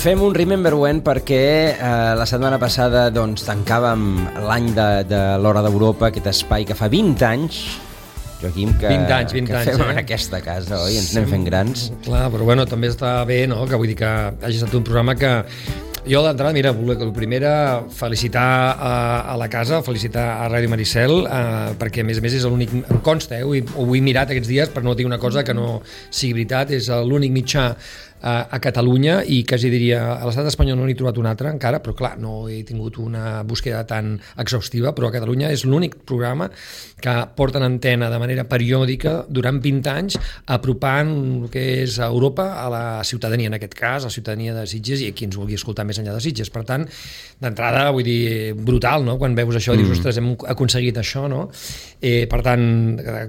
Fem un Remember When perquè la setmana passada doncs, tancàvem l'any de l'Hora d'Europa, aquest espai que fa 20 anys, Joaquim, que 20 anys, fem en aquesta casa, oi? Ens anem fent grans. Clar, però bueno, també està bé, no?, que vull dir que hagi estat un programa que jo d'entrada, mira, el primer felicitar a la casa, felicitar a Ràdio Maricel, perquè a més és l'únic, em consta, ho he mirat aquests dies per no dir una cosa que no sigui veritat, és l'únic mitjà a Catalunya i quasi diria a l'estat espanyol no n'he trobat un altre encara, però clar, no he tingut una búsqueda tan exhaustiva, però a Catalunya és l'únic programa que porta en antena de manera periòdica durant 20 anys apropant el que és Europa a la ciutadania, en aquest cas, a la ciutadania de Sitges i a qui ens vulgui escoltar més enllà de Sitges. Per tant, d'entrada, vull dir, brutal, no? Quan veus això, dius, ostres, hem aconseguit això, no? Per tant,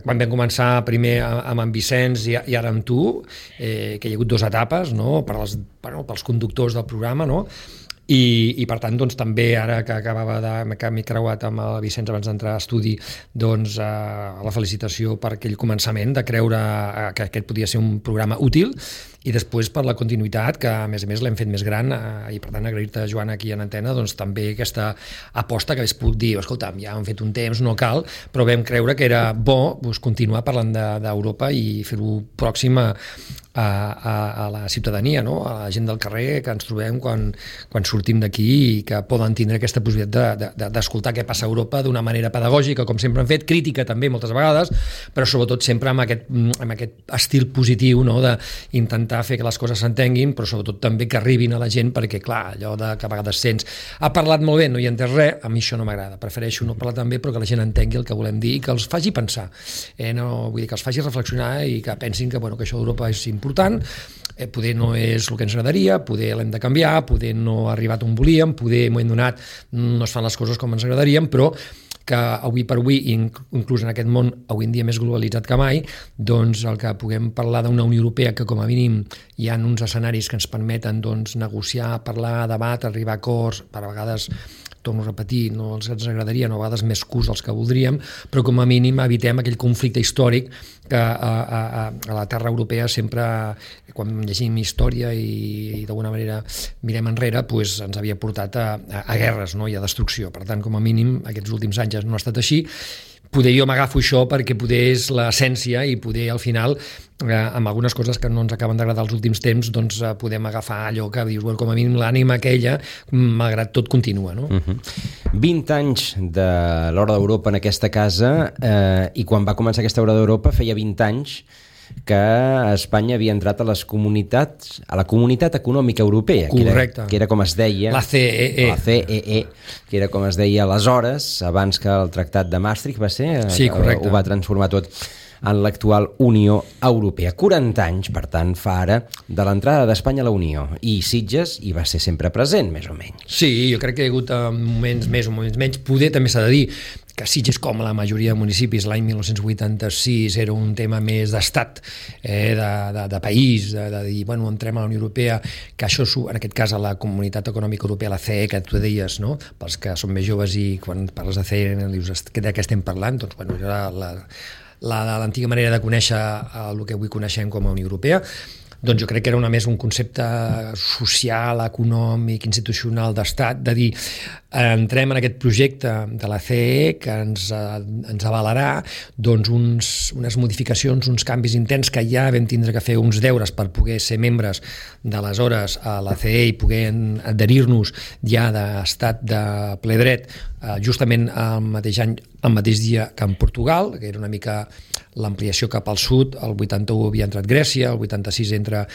quan vam començar primer amb en Vicenç i ara amb tu, que hi ha hagut 2 etapes, no? Pels conductors del programa, no? I per tant, doncs, també ara que m'he creuat amb el Vicenç abans d'entrar a estudi, doncs la felicitació per aquell començament de creure que aquest podia ser un programa útil, i després per la continuïtat, que a més l'hem fet més gran, i per tant agrair-te, Joan, aquí en antena, doncs també aquesta aposta que hagués pogut dir, escolta, ja hem fet un temps, no cal, però vam creure que era bo continuar parlant d'Europa i fer-ho pròxim a la ciutadania, no? A la gent del carrer que ens trobem quan sortim d'aquí i que poden tindre aquesta possibilitat d'escoltar què passa a Europa d'una manera pedagògica, com sempre hem fet, crítica també moltes vegades, però sobretot sempre amb aquest estil positiu, no? D'intentar fer que les coses s'entenguin, però sobretot també que arribin a la gent, perquè clar, allò que a vegades sents ha parlat molt bé, no hi ha entès res, a mi això no m'agrada, prefereixo no parlar tan bé però que la gent entengui el que volem dir i que els faci pensar, no, vull dir que els faci reflexionar i que pensin que això d'Europa és important, poder no és el que ens agradaria, poder l'hem de canviar, poder no ha arribat on volíem, poder en un moment donat no es fan les coses com ens agradarien, però que avui per avui, inclús en aquest món avui en dia més globalitzat que mai, doncs el que puguem parlar d'una Unió Europea que com a mínim hi ha uns escenaris que ens permeten doncs, negociar, parlar, debat, arribar a acords, per a vegades torno a repetir, no els ens agradaria, no a vegades més curts dels que voldríem, però com a mínim evitem aquell conflicte històric que a la terra europea sempre, quan llegim història i d'alguna manera mirem enrere, doncs ens havia portat a guerres, no? I a destrucció. Per tant, com a mínim, aquests últims anys no ha estat així. Poder jo m'agafo això perquè poder és l'essència i poder al final amb algunes coses que no ens acaben d'agradar els últims temps, doncs podem agafar allò que dius, com a mínim l'ànima aquella, malgrat tot, continua, no? 20 anys de l'Hora d'Europa en aquesta casa, i quan va començar aquesta Hora d'Europa feia 20 anys que Espanya havia entrat a la Comunitat Econòmica Europea, que era com es deia la CEE, que era com es deia aleshores, abans que el Tractat de Maastricht va ser, sí, correcte, ho va transformar tot en l'actual Unió Europea. 40 anys, per tant, fa ara de l'entrada d'Espanya a la Unió, i Sitges hi va ser sempre present, més o menys. Sí, jo crec que hi ha hagut moments més o moments menys. Poder també s'ha de dir que Sitges, com la majoria de municipis, l'any 1986 era un tema més d'estat, de país, de dir, bueno, entrem a la Unió Europea, que això, en aquest cas, a la Comunitat Econòmica Europea, la CE, que tu deies, no? Pels que són més joves i quan parles de CE dius, de què estem parlant? Doncs, bueno, era l'antiga manera de conèixer el que avui coneixem com a Unió Europea. Doncs jo crec que era més un concepte social, econòmic, institucional d'estat, de dir, entrem en aquest projecte de la CE que ens avalarà doncs unes modificacions, uns canvis interns que ja vam tindre que fer uns deures per poder ser membres d'aleshores a la CE i poder adherir-nos ja d'estat de ple dret, justament el mateix any, el mateix dia que en Portugal, que era una mica l'ampliació cap al sud. El 81 havia entrat Grècia, el 86 entra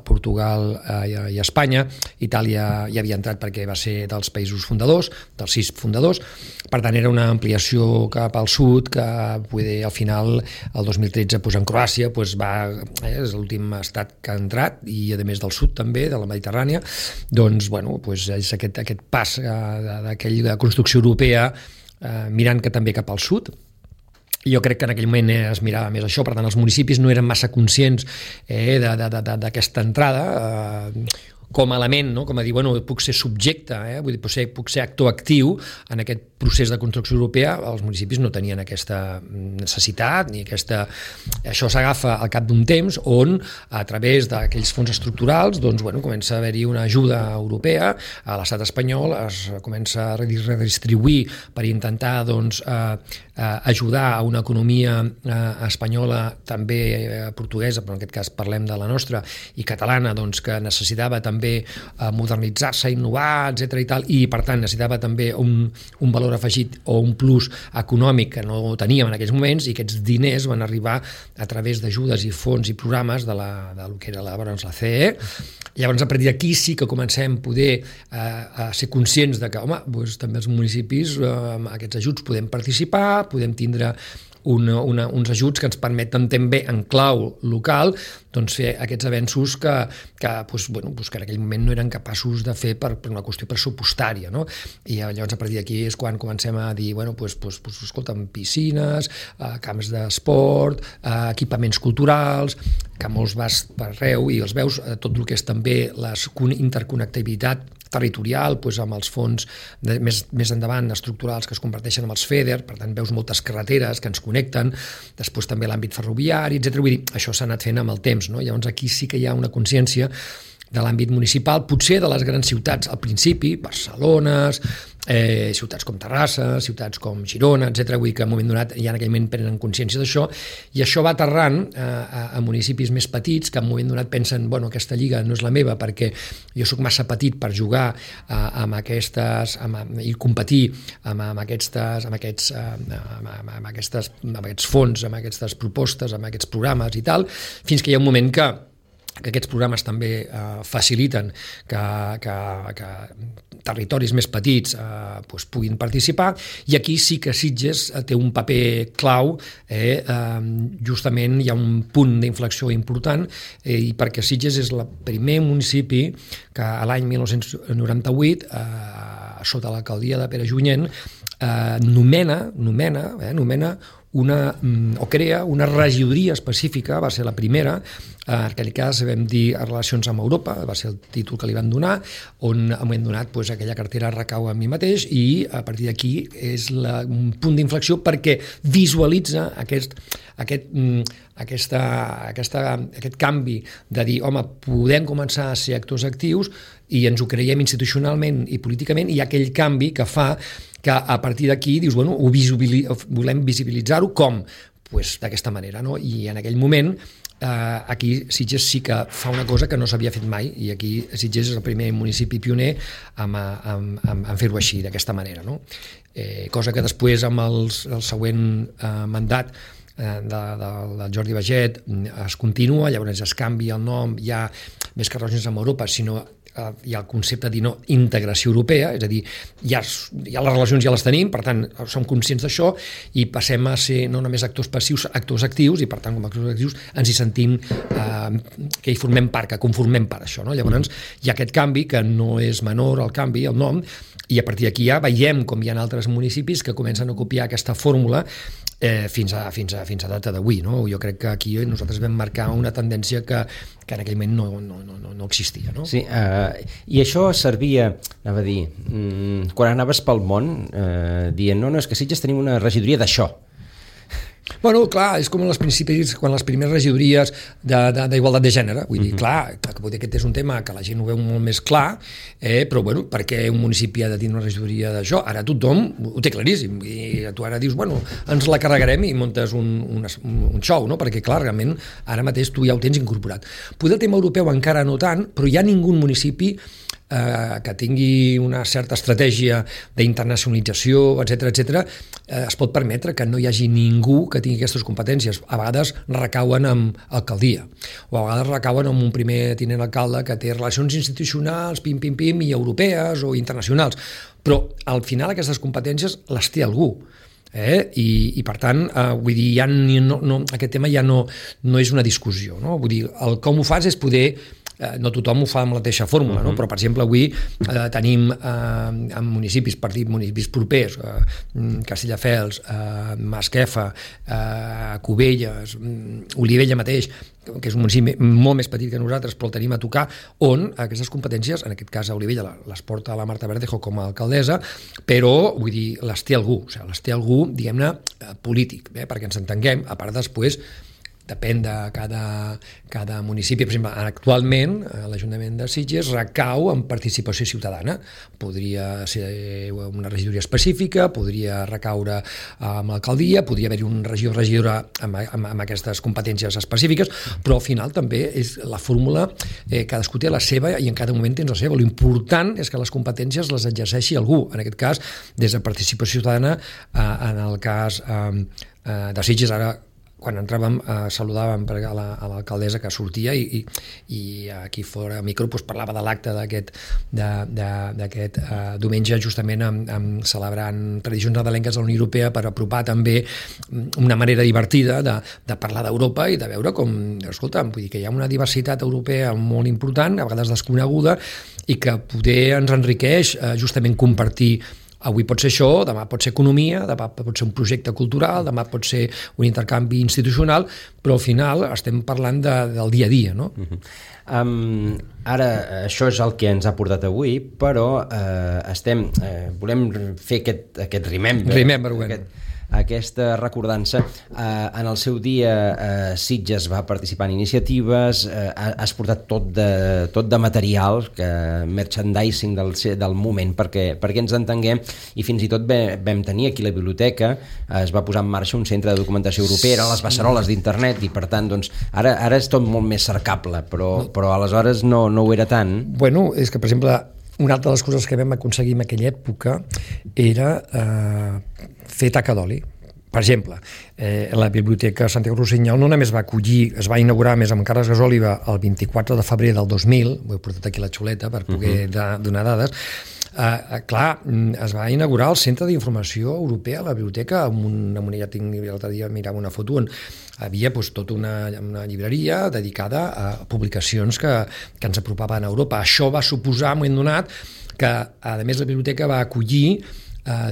Portugal i Espanya, Itàlia ja havia entrat perquè va ser dels països fundadors, dels 6 fundadors. Per tant, era una ampliació cap al sud que al final, el 2013, en Croàcia és l'últim estat que ha entrat, i a més del sud també, de la Mediterrània. Doncs, bueno, és aquest pas d'aquella construcció europea mirant que també cap al sud. Jo crec que en aquell moment es mirava més això, per tant els municipis no eren massa conscients d'aquesta entrada, com a element, no? Com a dir, bueno, puc ser subjecte, vull dir, puc ser actor actiu en aquest procés de construcció europea. Els municipis no tenien aquesta necessitat ni aquesta... Això s'agafa al cap d'un temps on, a través d'aquells fons estructurals, doncs, bueno, comença a haver-hi una ajuda europea, a l'estat espanyol es comença a redistribuir per intentar, doncs, ajudar a una economia espanyola, també portuguesa, però en aquest cas parlem de la nostra, i catalana, doncs, que necessitava també modernitzar-se, innovar, etc i tal, i per tant necessitava també un valor afegit o un plus econòmic que no teníem en aquells moments, i aquests diners van arribar a través d'ajudes i fons i programes del que era llavors la CE. Llavors, a partir d'aquí sí que comencem a poder ser conscients de que, home, doncs, també els municipis amb aquests ajuts podem participar, podem tindre uns ajuts que ens permeten també en clau local, doncs, fer aquests avenços que en aquell moment no eren capaços de fer per una qüestió pressupostària, no? I llavors a partir d'aquí és quan comencem a dir, escolta'm, piscines, camps d'esport, equipaments culturals, que molts vas per arreu i els veus, tot el que és també la interconnectivitat territorial, amb els fons més endavant estructurals que es converteixen en els FEDER, per tant veus moltes carreteres que ens connecten, després també l'àmbit ferroviari, etc. Vull dir, això s'ha anat fent amb el temps, no? Llavors aquí sí que hi ha una consciència de l'àmbit municipal, potser de les grans ciutats al principi, Barcelona, ciutats com Terrassa, ciutats com Girona, etc. Vull dir que en un moment donat ja en aquell moment prenen consciència d'això, i això va aterrant a municipis més petits que en un moment donat pensen, aquesta lliga no és la meva perquè jo sóc massa petit per jugar amb aquestes i competir amb aquests fons, amb aquestes propostes, amb aquests programes i tal, fins que hi ha un moment que aquests programes també faciliten que territoris més petits puguin participar, i aquí sí que Sitges té un paper clau, justament hi ha un punt d'inflexió important, i perquè Sitges és el primer municipi que a l'any 1998, sota l'alcaldia de Pere Junyent, nomena o crea una regidoria específica, va ser la primera, en aquell cas vam dir relacions amb Europa, va ser el títol que li van donar, on en un moment donat aquella cartera recau a mi mateix, i a partir d'aquí és un punt d'inflexió perquè visualitza aquest canvi de dir, home, podem començar a ser actors actius i ens ho creiem institucionalment i políticament, i hi ha aquell canvi que fa que a partir d'aquí dius, volem visibilitzar-ho com? D'aquesta manera, no? I en aquell moment aquí Sitges sí que fa una cosa que no s'havia fet mai, i aquí Sitges és el primer municipi pioner en fer-ho així, d'aquesta manera, no? Cosa que després amb el següent mandat del Jordi Baget es continua, llavors es canvia el nom, ja més que relacions amb Europa, sinó hi ha el concepte d'integració europea, és a dir, ja les relacions ja les tenim, per tant som conscients d'això i passem a ser no només actors passius, actors actius, i per tant com a actors actius ens hi sentim que hi formem part, que conformem part això, no? Llavors hi ha aquest canvi que no és menor, el canvi, el nom, i a partir d'aquí ja veiem com hi ha altres municipis que comencen a copiar aquesta fórmula fins a data d'avui, no? Jo crec que aquí nosaltres vam marcar una tendència que en aquell moment no existia, no? Sí, i això servia, anava a dir, quan anaves pel món dient, no, és que Sitges tenim una regidoria d'això. Bueno, clar, és com quan les primeres regidories d'igualtat de gènere, vull dir, clar, que aquest és un tema que la gent ho veu molt més clar, però bueno, per què un municipi ha de tenir una regidoria d'això? Ara tothom ho té claríssim, i tu ara dius, ens la carregarem i muntes un show, no? Perquè clar, realment, ara mateix tu ja ho tens incorporat. Poder el tema europeu encara no tant, però hi ha ningú municipi que tingui una certa estratègia d'internacionalització, etc., es pot permetre que no hi hagi ningú que tingui aquestes competències. A vegades recauen amb alcaldia, o a vegades recauen amb un primer tinent alcalde que té relacions institucionals, pim, i europees o internacionals, però al final aquestes competències les té algú. I per tant, vull dir, aquest tema ja no és una discussió, no? Vull dir, el com ho fas és poder no tothom ho fa amb la mateixa fórmula, no? Però, per exemple, avui tenim en municipis, per dir municipis propers, Castelldefels, Masquefa, Cubelles, Olivella mateix, que és un municipi molt més petit que nosaltres, però el tenim a tocar, on aquestes competències, en aquest cas a Olivella, les porta la Marta Verdejo com a alcaldessa, però, vull dir, les té algú, diguem-ne, polític, perquè ens entenguem, a part després, depèn de cada municipi. Per exemple, actualment l'Ajuntament de Sitges recau en participació ciutadana. Podria ser una regidoria específica, podria recaure amb l'alcaldia, podria haver-hi un regidor o regidora amb aquestes competències específiques, però al final també és la fórmula, cadascú té la seva i en cada moment tens la seva. L'important és que les competències les exerceixi algú, en aquest cas des de participació ciutadana, en el cas de Sitges. Ara, quan entràvem, saludàvem a l'alcaldessa que sortia i aquí fora a micro parlava de l'acte d'aquest diumenge, justament celebrant tradicions nadalenques de la Unió Europea, per apropar també una manera divertida de parlar d'Europa i de veure com, escolta'm, vull dir que hi ha una diversitat europea molt important, a vegades desconeguda, i que poder ens enriqueix justament compartir. Avui pot ser això, demà pot ser economia, demà pot ser un projecte cultural, demà pot ser un intercanvi institucional, però al final estem parlant del dia a dia, no? Ara, això és el que ens ha portat avui, però volem fer aquest remember, aquesta recordança. En el seu dia Sitges va participar en iniciatives, has portat tot de material, merchandising del moment, perquè ens entenguem, i fins i tot vam tenir aquí la biblioteca, es va posar en marxa un centre de documentació europea, eren les beceroles d'internet, i per tant, doncs, ara és tot molt més cercable, però aleshores no ho era tant. Bueno, és que, per exemple, una altra de les coses que vam aconseguir en aquella època era fer taca d'oli. Per exemple, la Biblioteca Santiago Rossinyol no només va acollir, es va inaugurar més amb Carles Gasòliba el 24 de febrer del 2000, ho he portat aquí a la xuleta per poder donar dades. Clar, es va inaugurar el Centre d'Informació Europea a la biblioteca, l'altre dia mirava una foto on havia tota una llibreria dedicada a publicacions que ens apropaven a Europa. Això va suposar, en un moment donat, que a més la biblioteca va acollir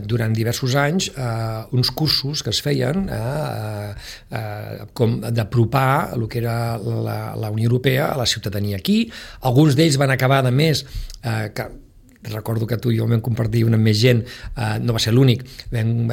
durant diversos anys uns cursos que es feien com d'apropar el que era la Unió Europea a la ciutadania aquí. Alguns d'ells van acabar, a més, recordo que tu i jo vam compartir una amb més gent, no va ser l'únic,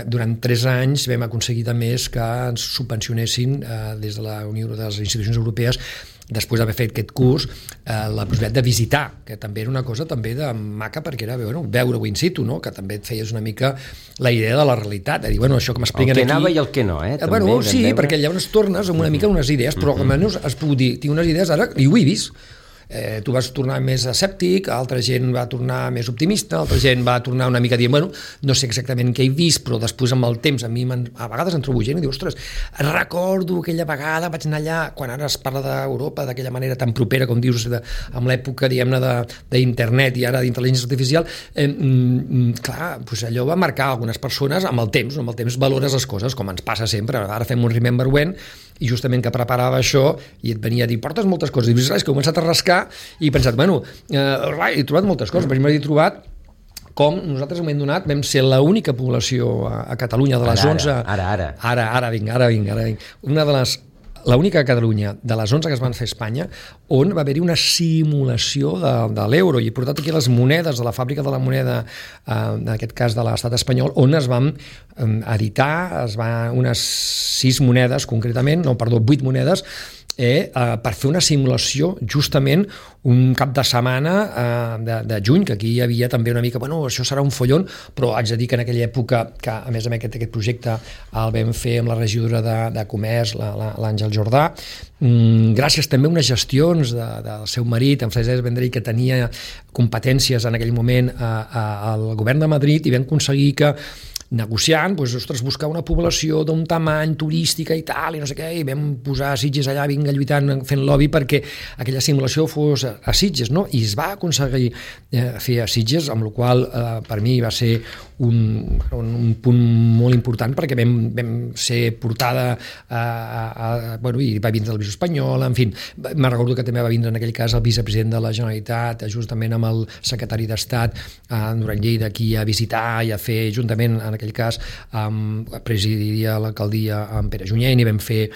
durant 3 anys vam aconseguir també que ens subvencionessin des de la Unió de les institucions europees, després d'haver fet aquest curs, la possibilitat de visitar, que també era una cosa també de maca, perquè era veure-ho in situ, no? Que també et feies una mica la idea de la realitat, de dir, això que m'expliquen aquí... El que anava i el que no, també, sí, perquè llavors tornes amb una mica unes idees, però almenys has pogut dir, tinc unes idees ara, i ho he vist. Tu vas tornar més escèptic, altra gent va tornar més optimista, altra gent va tornar una mica dient, no sé exactament què he vist, però després amb el temps a mi a vegades em trobo gent i diu, ostres, recordo aquella vegada, vaig anar allà, quan ara es parla d'Europa d'aquella manera tan propera, com dius, amb l'època, diguem-ne, d'internet i ara d'intel·ligència artificial, clar, allò va marcar algunes persones amb el temps valores les coses, com ens passa sempre. Ara fem un Remember When, i justament que preparava això i et venia a dir, portes moltes coses, i dius, que he començat a rascar i he pensat, he trobat moltes coses. Per exemple, he trobat com nosaltres, en un moment donat, vam ser l'única població a Catalunya de les 11... Ara vinc. L'única a Catalunya de les 11 que es van fer a Espanya on va haver-hi una simulació de l'euro, i he portat aquí les monedes de la fàbrica de la moneda, en aquest cas de l'estat espanyol, on es van editar unes 6 monedes concretament, 8 monedes, per fer una simulació justament un cap de setmana de juny, que aquí hi havia també una mica, això serà un follon, però haig de dir que en aquella època, que a més aquest projecte el vam fer amb la regidora de Comerç, l'Àngel Jordà, gràcies també a unes gestions del seu marit, en Francesc Vendrell, que tenia competències en aquell moment al govern de Madrid, i vam aconseguir que negociant, buscar una població d'un tamany turística i tal, i no sé què, i vam posar a Sitges allà, lluitant, fent lobby perquè aquella simulació fos a Sitges, no? I es va aconseguir fer a Sitges, amb la qual per mi va ser un punt molt important, perquè vam ser portada i va vindre la televisió espanyola, en fi, me'n recordo que també va vindre en aquell cas el vicepresident de la Generalitat, justament amb el secretari d'Estat Duran Lleida, aquí a visitar i a fer, juntament en aquell cas presidiria l'alcaldia amb Pere Junyent, i vam fer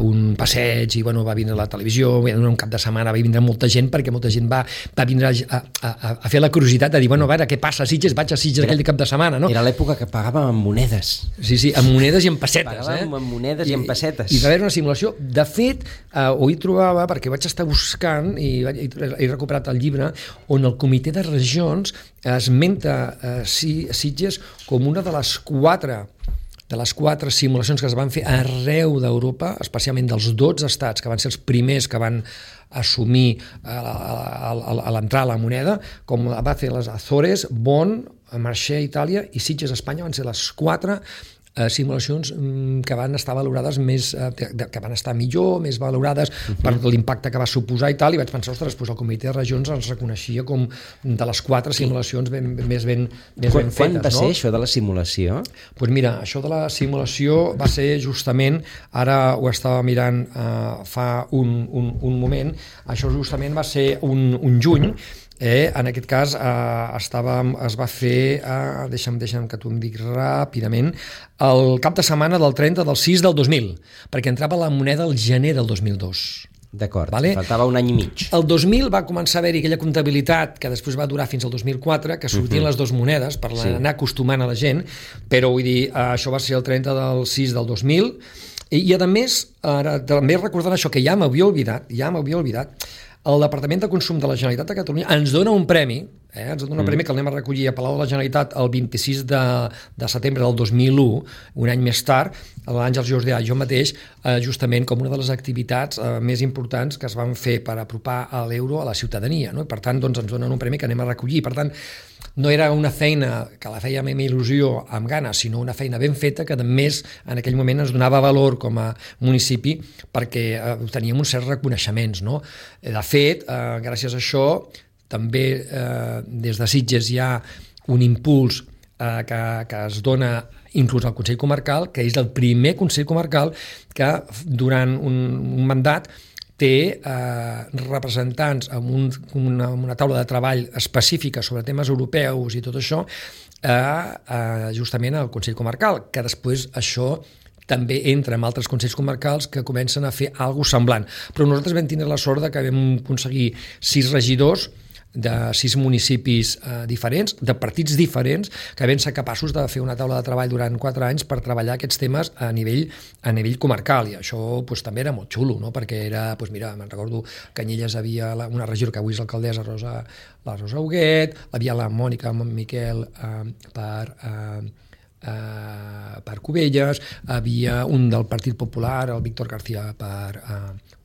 un passeig, i va vindre a la televisió, un cap de setmana va vindre molta gent, perquè molta gent va vindre a fer la curiositat de dir, a veure, què passa a Sitges? Vaig a Sitges aquell cap de setmana, no? Era l'època que pagàvem amb monedes. Sí, amb monedes i amb pessetes. Pagàvem amb monedes i amb pessetes. I va haver una simulació. De fet, ho hi trobava, perquè vaig estar buscant, i he recuperat el llibre, on el Comitè de Regions esmenta Sitges com una de les quatre simulacions que es van fer arreu d'Europa, especialment dels 12 estats que van ser els primers que van assumir a l'entrar a la moneda, com va fer les Azores, Bonn, Marseille, Itàlia, i Sitges, Espanya, van ser les 4 simulacions que van estar valorades que van estar millor, més valorades per l'impacte que va suposar i tal, i vaig pensar, ostres, el Comitè de Regions ens reconeixia com de les 4 simulacions més ben fetes. Quan va ser això de la simulació? Doncs mira, això de la simulació va ser justament, ara ho estava mirant fa un moment, això justament va ser un juny. En aquest cas es va fer, deixa'm que t'ho dic ràpidament, el cap de setmana del 30 del 6 del 2000, perquè entrava la moneda el gener del 2002. D'acord, faltava un any i mig. El 2000 va començar a haver-hi aquella comptabilitat que després va durar fins al 2004, que sortien les dues monedes per anar acostumant a la gent, però vull dir, això va ser el 30 del 6 del 2000, i a més, també recordant això, que ja m'havia oblidat, el Departament de Consum de la Generalitat de Catalunya ens dona un premi, ens dona un premi que el anem a recollir a Palau de la Generalitat el 26 de setembre del 2001, un any més tard, l'Àngels Jordà i jo mateix, justament com una de les activitats més importants que es van fer per apropar l'euro a la ciutadania, no? I per tant, doncs, ens donen un premi que anem a recollir. Per tant, no era una feina que la fèiem amb il·lusió, amb ganes, sinó una feina ben feta que, a més, en aquell moment ens donava valor com a municipi perquè teníem uns certs reconeixements, no? De fet, gràcies a això, també des de Sitges hi ha un impuls que es dona inclús al Consell Comarcal, que és el primer Consell Comarcal que durant un mandat té representants amb una taula de treball específica sobre temes europeus i tot això, justament al Consell Comarcal, que després això també entra en altres consells comarcals que comencen a fer alguna cosa semblant. Però nosaltres vam tindre la sort que vam aconseguir 6 regidors de 6 municipis diferents, de partits diferents, que vam ser capaços de fer una taula de treball durant 4 anys per treballar aquests temes a nivell comarcal, i això també era molt xulo, no? Perquè era, mira, me'n recordo que a Canyelles havia una regidora que avui és l'alcaldessa, la Rosa Huguet, havia la Mònica Miquel per Cubelles, havia un del Partit Popular, el Víctor García per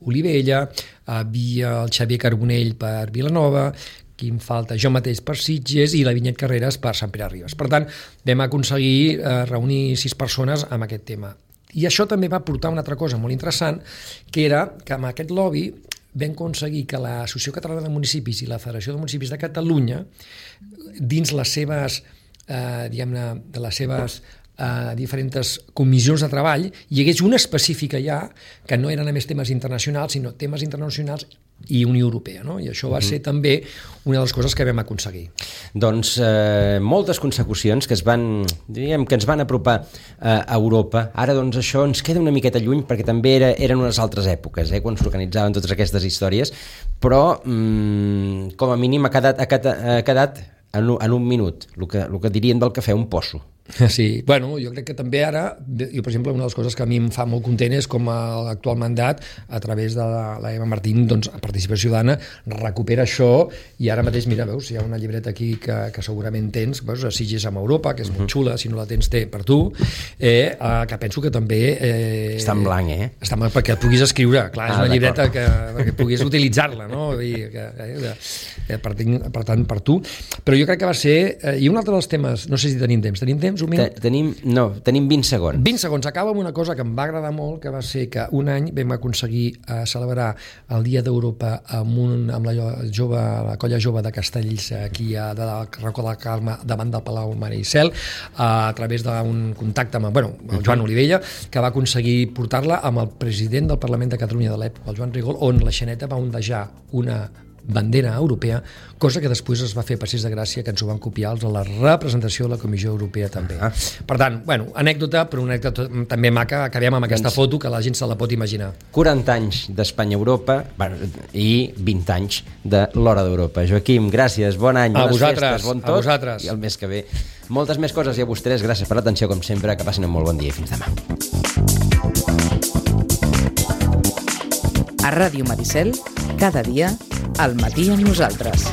Olivella, havia el Xavier Carbonell per Vilanova, qui em falta, jo mateix per Sitges, i la Vinyet Carreras per Sant Pere Ribes. Per tant, vam aconseguir reunir 6 persones amb aquest tema. I això també va portar una altra cosa molt interessant, que era que amb aquest lobby vam aconseguir que l'Associació Catalana de Municipis i la Federació de Municipis de Catalunya, dins les seves de les seves diferents comissions de treball, hi hagués una específica ja que no eren només temes internacionals, sinó temes internacionals i Unió Europea, no? I això va ser també una de les coses que vam aconseguir. Doncs moltes consecucions que ens van apropar a Europa. Ara doncs això ens queda una miqueta lluny perquè també eren unes altres èpoques, quan s'organitzaven totes aquestes històries, però com a mínim ha quedat en un minut, el que dirien del cafè, un posso. Sí, bueno, jo crec que també ara, jo per exemple, una de les coses que a mi em fa molt content és com l'actual mandat, a través de la Eva Martín, doncs, Participació Ciutadana, recupera això, i ara mateix, mira, veus, hi ha una llibreta aquí que segurament tens, veus, a Sitges amb Europa, que és molt xula, si no la tens té per tu, que penso que també... Està en blanc, Està en blanc, perquè et puguis escriure, clar, és una llibreta perquè puguis utilitzar-la, no? Per tant, per tu. Però jo crec que va ser... I un altre dels temes, no sé si tenim temps, temps? Un minut? Tenim 20 segons. 20 segons. Acaba amb una cosa que em va agradar molt, que va ser que un any vam aconseguir celebrar el Dia d'Europa amb la colla jove de Castells, aquí de Racó de la Calma, davant del Palau Maricel, a través d'un contacte amb el Joan Olivella, que va aconseguir portar-la amb el president del Parlament de Catalunya de l'època, el Joan Rigol, on la Xaneta va ondejar una bandera europea, cosa que després es va fer Passeig de Gràcia, que ens ho van copiar els de la representació de la Comissió Europea també. Per tant, anècdota, però una anècdota també maca. Acabem amb aquesta foto que la gent se la pot imaginar. 40 anys d'Espanya-Europa i 20 anys de l'Hora d'Europa. Joaquim, gràcies, bon any, bones festes, bon tot, i el mes que ve moltes més coses, i a vostès gràcies per l'atenció com sempre, que passin un molt bon dia i fins demà. A Ràdio Maricel, cada dia, al matí amb nosaltres.